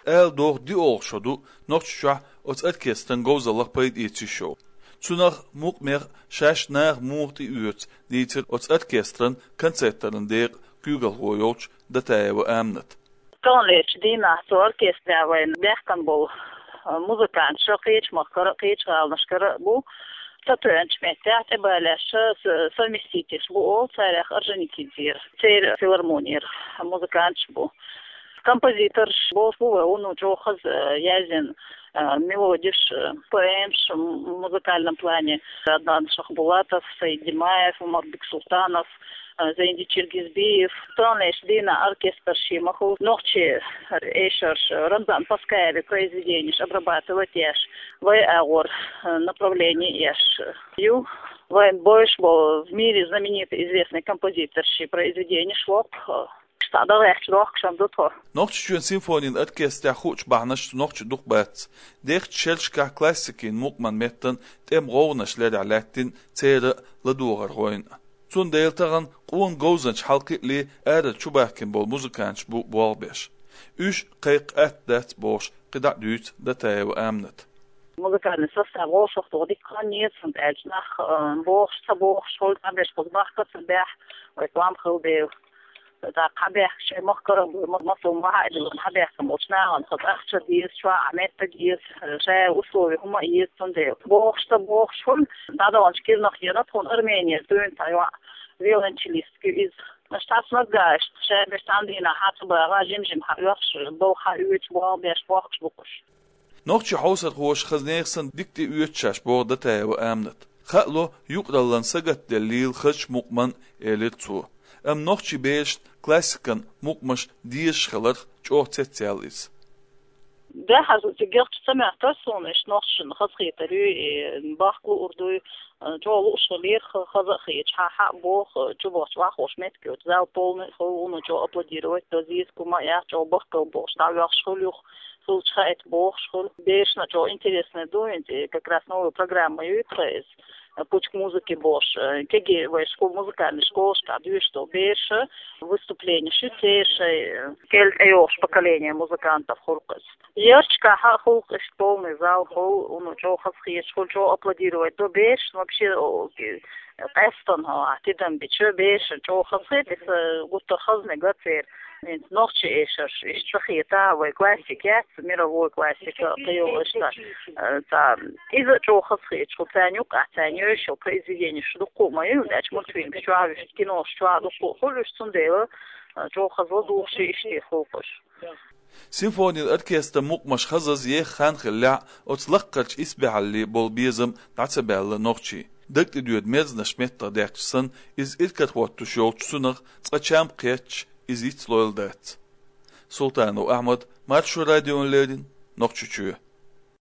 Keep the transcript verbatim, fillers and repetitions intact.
Ала догӀу, диъолгӀа шо ду Нохчийчохь оцу оркестран говзаллах пайда эца йиш йолу. Цунах мукъамех шаьш наха муха тӀеоьцу дийцира оцу оркестран концертан декъан куьйгалхо йолчу Датаева Аминат. Таханлерчу дийнахь цу оркестрехь вайна баьхкина болу, а, музыканташ кхечу махкара а, кхечу гӀаланашкара а бу. Ца тоьанчу меттехь тӀебалеш, с-, совместительш бу олу, царех Орджоникидзера, церан филармонера музыканташ бу. Композиторш боху вай, вуно чӀогӀа хаза, э, язйина, э, мелодиш, э, поэмаш, м-, в музыкальном плане. Аднан Шахбулатов, Саид Димаев, Умарбек Султанов, э, Зайди Чиргизбиев. Таханлерчу дийнахь оркестраш ма-хуьллу, нохчийн эшарш, Рамзан Паскаевн произведенеш обрабатывать еш, вай агӀор, э, направление еш ю. Вайн бовш болу в мире знаменитый известный композиторш произведенеш воккху. Ша дагахь чу дохкуш ду тхо. Нохчийчоьнан симфонин оркестрехь хуучу бахьанаш нохчийн дукха бац. Дехачу шерашкахь классикин мукъаман меттан тӀеман гӀовгӀанаш ларъян лаьттина церан ладогӀархойн. Цундела тахана къона говзанча хьалакхиале арара чубахкина болу музыканташ бу болх беш. Уьш кхайкха атта дац бохуш, кхидӀа а дуьйцу Датаева Аминат. Музыкальный состав вовшах тхо дика хан еза, хӀунда аьлча нах, э, бохуш, ца бохуш, хӀума дӀабеш, кхуза бахка ца баьхьа, вай тӀом хила дела. ТӀаккха хьабаьхкича шайн махкара а бу, ма-, массо а ма хьаьдда, хьабаьхкина болчу нахана хаза ахча деза, чохь а меттиг еза, шайн условия хӀума а еза, цундела. Бохуш, ца бохуш, хӀума дӀадаханчу кирнах йина тхуна Арменера дуьйна цхьа йоӀ, виолончелистка ю иза. Аша цхьацца наггахь, аша шайн беш цхьана дийнахь хьа ца багӀа, жим-жим хьаоьхуш, болх хьаоьцуш, болх беш бохкуш бу кхуш. Нохчийн хьовсархоша хаза нехан санна дика тӀеоьцу шаьш боху Датаева Аминат. Хаало, юкъараллан сагатделлийла хазачу мукъаман, элира цо. Амма нохчийн берашна классикан мукъамаш дезаш хиларх чӀогӀа цецъяьлла иза. Дахьаза цигахча ца моьттура суна, иштта нохчашна хазахетар юй, и бахка луур дуй, чӀогӀа лууш хилира, ха-, хаза а хеташ, хьан хьа а боху, чубахча охьахууш меттиг йоцу зал полный хуьлу, вуно чӀогӀа аплодировать до, зийза кума а яц, чӀогӀа бахкал бохуш, дӀавоьхуш хуьлу юха. Хилча хаийта бохуш хуьлу. Берашна чӀогӀа интересный ду, хӀинца как раз новая программа ю тхан иза, «Путь к музыке» бохуш, э, кегий вай школ-, музыкальный школашкахь доьшуш долу бераш, выступленеш ю церан шайн, э, кӀел тӀейогӀуш поколение музыкантов хуьлу-кх иза. Ярташкахь а хуьлу-кх иштта полный зал хуьлу, вуно чӀогӀа хазахеташ хуьлу, чӀогӀа аплодировать до берашна, вообще, о, ки-, къаьстина, хьо, ахь тидам бича, берашна чӀогӀа хазахета, иза гуттар а хаза мега церан. ХӀинца нохчийн эшарш, иштта ца хета, вай классика яц, мировой классика, кхин йолу иштта, э, цхьа, иза а чӀогӀа хазахеташ хуьлу, царна юкъахь царна йовзуш йолу произведенеш дуккха а ма ю, хӀунда аьлча мультфильмаш чохь а, кинош чохь а дуккха а хуьлу уьш, цундела, э, чӀогӀа хаза ладугӀуш и иштта хуьлу-кх уьш. Симфонин оркестран мукъамаш хазаза еха хан хиллехь а, оцу лаккхарчу исбаьхьалле болу безам дӀа ца баьлла нохчийн. ДагтӀедоьду мерзанаш меттах даьккхича санна, иза иракарахӀоттош йолчу цунах цкъа чам кхетча, иза йицлойла дац. Султанов Ахьмад, Маршо радиона леррина, Нохчийчоь.